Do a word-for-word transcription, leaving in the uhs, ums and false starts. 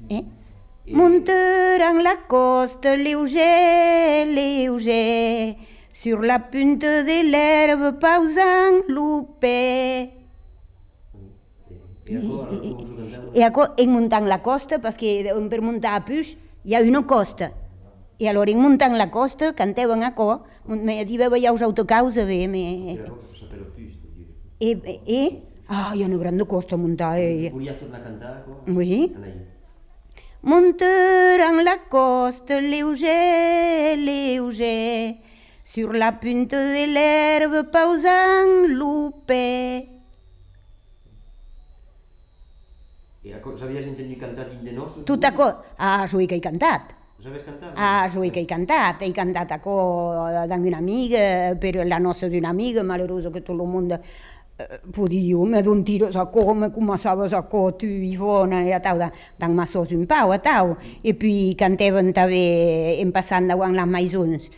Eh? Monteront la coste, léger, léger, sur la punte de l'herbe, pausant loupé. I en muntant la costa, perquè per muntar a Puix hi ha una costa. I allora en muntant la costa canteven a co, me diva veia els autocaus a bé. E, e? Ah, hi ha una gran costa a muntar. Volies tornar a cantar? Oui. Monteront la coste, léger, léger, sur la punte de l'herbe, pausant loupé. Sabies entendre cantar dins de nos? Tot a co... Ah, jo que he cantat. Sabies cantar? Ah, jo que he cantat. He cantat a co d'una amiga, per la nossa d'una amiga, malheurosa que tot el món podia, me d'un tires a co, me començaves a co, tu, Ivona, e tau, dan massos un pau, a tau. E puis cantaven també, en passant davant les maisons.